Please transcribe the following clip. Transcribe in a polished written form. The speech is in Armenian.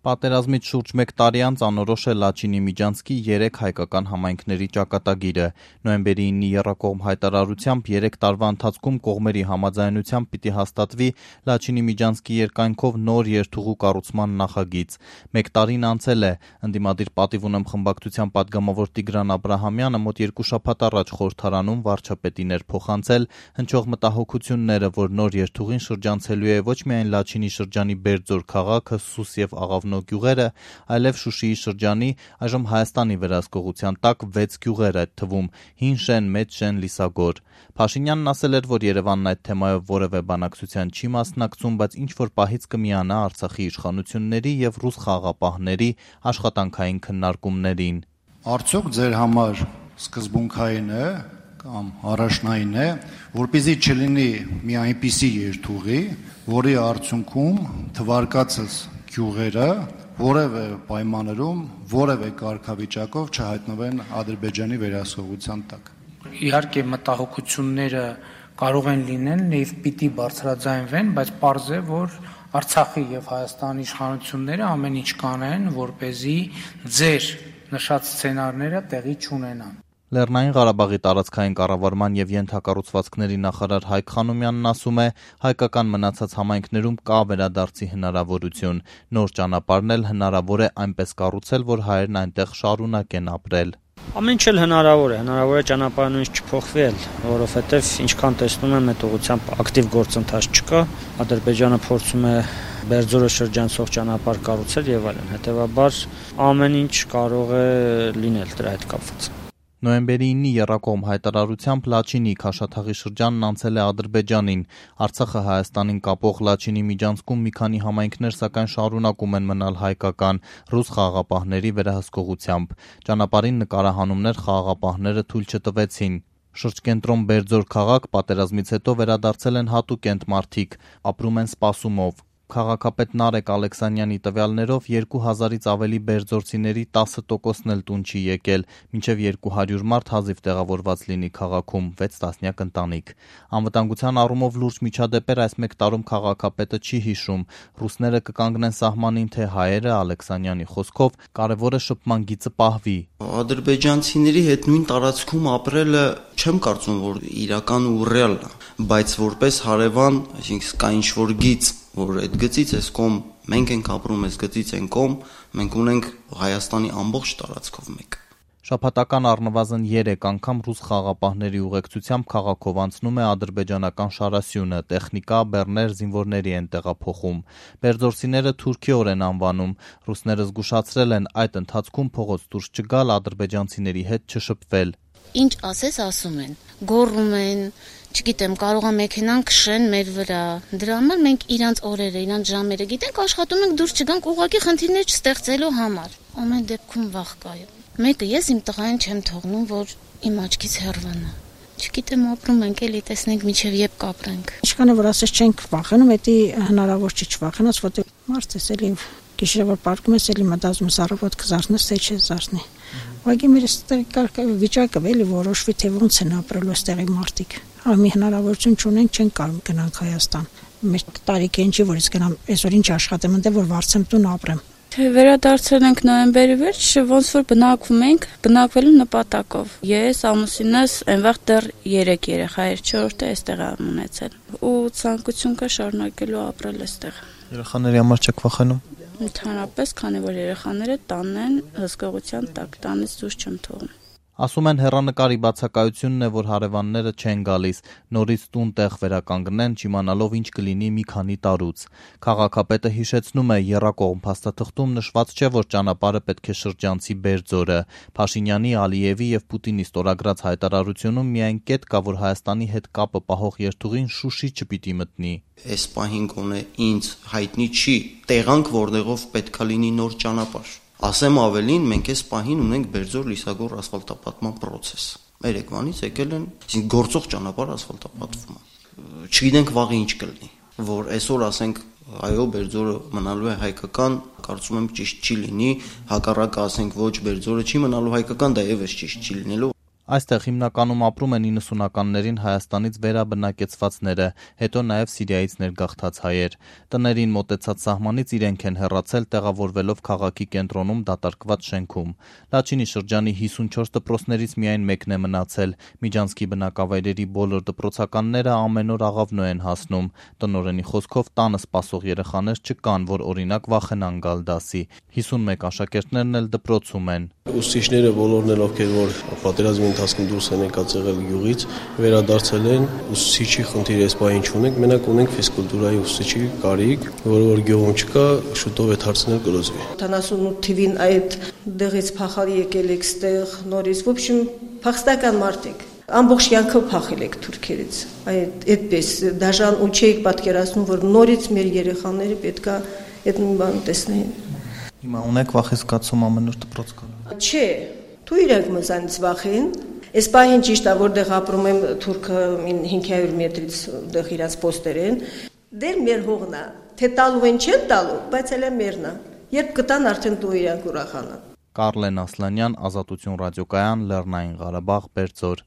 Պատերազմից շուրջ 1 տարի անց անորոշ է Լաչինի Միջանցքի 3 հայկական համայնքների ճակատագիրը։ Նոյեմբերի 9-ի եռակողմ հայտարարությամբ 3 տարվա ընթացքում կողմերի համաձայնությամբ պիտի հաստատվի Լաչինի Միջանցքի երկայնքով նոր երթուղու կառուցման նախագիծ։ 1 տարին անցել է, ընդդիմադիր պատիվ ունեմ խմբակցության պատգամավոր Տիգրան Աբրահամյանը մոտ 2 շաբաթ առաջ խորհրդարանում վարչապետին էր փոխանցել հնչող մտահոգությունները, որ նոր երթուղին շրջանցելու է ոչ միայն Լաչինի շրջանի Բերձոր քաղաքը, Սուս եւ Աղավնո գյուղերը, այլև Շուշիի շրջանի, այժմ Հայաստանի վերահսկողության տակ 6 գյուղեր, այդ թվում Հին Շեն, Մեծ Շեն, Լիսագոր։ Փաշինյանն ասել էր, որ Երևանն այդ թեմայով որևէ բանակցության չի մասնակցում, բայց ինչ-որ պահից կմիանա Արցախի իշխանությունների եւ ռուս խաղաղապահների աշխատանքային քննարկումներին։ Արդյոք ձեր համար սկզբունքային է կամ առաջնային է, որպեսզի չլինի մի այնպիսի երթուղի, որի արդյունքում թվարկածս գյուղերը որևէ պայմաններում, որևէ կարգավիճակով չհայտնվեն Ադրբեջանի վերահսկողության տակ։ Իհարկե մտահոգությունները կարող են լինել եւ պիտի բարձրաձայնվեն, բայց պարզ է, որ Արցախի եւ Հայաստանի իշխանությունները ամեն ինչ կանեն, որպեսզի ձեր նշած սցենարները տեղի չունենան։ Լեռնային Ղարաբաղի տարածքային կառավարման եւ ենթակառուցվածքների նախարար Հայկ Խանոմյանն ասում է, հայկական մնացած համայնքներում կա վերադարձի հնարավորություն, նոր ճանապարհն էլ հնարավոր է այնպես կառուցել, որ հայերն այնտեղ շարունակեն ապրել։ Ամեն ինչ էլ հնարավոր է ճանապարհը նույնիսկ չփոխվի էլ, որովհետեւ ինչքան տեսնում եմ այդ ուղղությամբ ակտիվ գործընթաց չկա, Ադրբեջանը փորձում է Բերձորը շրջանցող ճանապարհ կառուցել եւ այլն, հետեւաբար ամեն ինչ կարող է լինել դրա հետ կապված։ Նոյեմբերի 9-ի եռակողմ հայտարարությամբ Լաչինի Քաշաթաղի շրջանն անցել է Ադրբեջանին։ Արցախը Հայաստանին կապող Լաչինի Միջանցքում մի քանի համայնքներ սակայն շարունակում են մնալ հայկական ռուս խաղաղապահների վերահսկողությամբ։ Ճանապարհին նկարահանումներ խաղաղապահները թույլ չտվեցին։ Շրջկենտրոն Բերձոր քաղաք պատերազմից հետո վերադարձել են հատուկ մարդիկ, ապրում են սպասումով։ Քաղաքապետ Նարեկ Ալեքսանյանի տվյալներով 2000-ից ավելի բերձորցիների 10%-ն էլ տուն չի եկել, մինչև 200 մարդ հազիվ տեղավորված լինի քաղաքում, 6 տասնյակ ընտանիք։ Անվտանգության առումով լուրջ միջադեպեր այս 1 տարում քաղաքապետը չի հիշում։ Ռուսները կկանգնեն սահմանին, թե հայերը, Ալեքսանյանի խոսքով, կարևորը շփման գիծը պահվի։ Ադրբեջանցիների հետ նույն տարածքում ապրելը չեմ կարծում, որ իրական ու ռեալ է, բայց որպես հարևան, այսինքն կա ինչ-որ գիծ, որ այդ գծից էս կողմ մենք ենք ապրում, այս գծից են կողմ, մենք ունենք Հայաստանի ամբողջ տարածքով մեկ։ Շաբաթական առնվազն 3 անգամ ռուս խաղաղապահների ուղեկցությամբ քաղաքով անցնում է ադրբեջանական շարասյունը, տեխնիկա, բեռներ, զինվորների են տեղափոխում։ Բերձորցիները թուրքիոր են անվանում, ռուսները զգուշացրել են այդ ընթացքում փողոց դուրս չգալ, ադրբեջանցիների հետ չշփվել։ Ինչ ասես ասում են, գոռում են, չգիտեմ, կարող է մեքենան քշեն մեր վրա։ Դրա համար մենք իրանց օրերը, իրանց ժամերը գիտենք, աշխատում ենք դուրս չգանք ուղղակի խնդիրներ չստեղծելու համար։ Ամեն դեպքում վախ կա։ Մեկը ես իմ տղային չեմ թողնում, որ իմ աչքից հեռվանա։ Չգիտեմ, ապրում ենք էլի, տեսնենք միջև երբ կապրենք։ Ինչքան որ ասես չենք վախենում, դա հնարավոր չի չվախենաս, որտեղ մարդ էս էլի գիշերը որ պարկում ես, էլի մտածում ես առավոտ կզարթնես, թե չզարթնի։ Ուղղակի մեր ստեղ վիճակը էլի որոշվի, թե ոնց են ապրելու այստեղի մարդիկ։ Մի հնարավորություն չունենք, չենք կարող գնանք Հայաստան։ Մեր տարիքին չի, որ ես գնամ այսօր ինչ աշխատեմ, այնտեղ որ վարձեմ տուն ապրեմ։ Թե վերադարձել ենք նոյեմբերի վերջ, ոնց որ բնակվում ենք, բնակվելու նպատակով։ Ես ամուսինս այնվաղ դեռ 3 երեխա էր, 4-ը այստեղ եմ ունեցել։ Ու ցանկություն կա շարունակելու ապրել այստեղ։ Երեխաների համար չեք վախենում։ Ընդհանրապես, քանի որ երեխաները տանն են հսկողության տակ, տանից դուրս չեմ թողնում։ Ասում են հեռանկարի բացակայությունն է, որ հարևանները չեն գալիս, նորից տուն տեղ վերականգնեն, չիմանալով ինչ կլինի մի քանի տարուց։ Քաղաքապետը հիշեցնում է, եռակողմ փաստաթղթում նշված չէ, որ ճանապարհը պետք է շրջանցի Բերձորը։ Փաշինյանի, Ալիևի եւ Պուտինի ստորագրած հայտարարությունում միայն կետ կա, որ Հայաստանի հետ կապը պահող երթուղին Շուշի չպիտի մտնի։ Այս պահին կոնե ինձ հայտնի չի տեղանք, որտեղով պետքա լինի նոր ճանապարհ։ Ասեմ ավելին, մենք այս պահին ունենք Բերձոր-Լիսագոր ասֆալտապատման process։ Երեկվանից եկել են, այսինքն գործող ճանապարհ ասֆալտապատվում է։ Չգիտենք վաղը ինչ կլինի, որ այսօր ասենք այո Բերձորը մնալու է հայկական, կարծում եմ ճիշտ չի լինի, հակառակը ասենք ոչ Բերձորը չի մնալու հայկական, դա եւս ճիշտ չի լինելու։ Այստեղ հիմնականում ապրում են 90-ականներին Հայաստանից վերաբնակեցվածները, հետո նաև Սիրիայից ներգաղթած հայեր։ Տներին մոտեցած սահմանից իրենք են հեռացել, տեղավորվելով քաղաքի կենտրոնում դատարկված շենքում։ Լաչինի շրջանի 54 դպրոցներից միայն մեկն է մնացել։ Միջանցքի բնակավայրերի բոլոր դպրոցականները ամեն օր աղավնո են հասնում։ Տնօրենի խոսքով տանը սպասող երեխաներ չկան, որ օրինակ վախենան գալ դասի։ 51 աշակերտներն էլ դպրոցում են։ Ուսուցիչները բոլորն էլ ովքեր որ պատերազմի ընթացքում դուրս են եկած եղել գյուղից, վերադարձել են, ուսուցիչի խնդիր այս պահին չունենք, մենակ ունենք ֆիզկուլտուրայի ուսուցիչի կարիք, որ գյուղում չկա, շուտով այդ հարցն էլ կլուծվի։ 78 թվին այդ դեղից փախալ եկել եք ստեղ նորից, в общем, փախստական մարդիկ։ Ամբողջ յանքը փախել եք թուրքերից։ Այդպես դաժան ու չէիք պատկերացնում, որ նորից մեր երեխաները պետքա այդ նույն բանը տեսնեին։ Հիմա ունեք վախեցկացում ամեն օր դպրոց գալ։ Չէ, դու իրենք մզանից վախեն։ Այս պահին ճիշտ է, որտեղ ապրում եմ թուրքը 500 մետրից դեղ իրաց պոստեր են։ Դեր մեր հողն է, թե տալու են չեն տալու, բայց էլ է մերն է։ Երբ կտան արդեն դու իրանք ուրախանան։ Կարլեն Ասլանյան, Ազատություն ռադիոկայան, Լեռնային Ղարաբաղ, Բերձոր։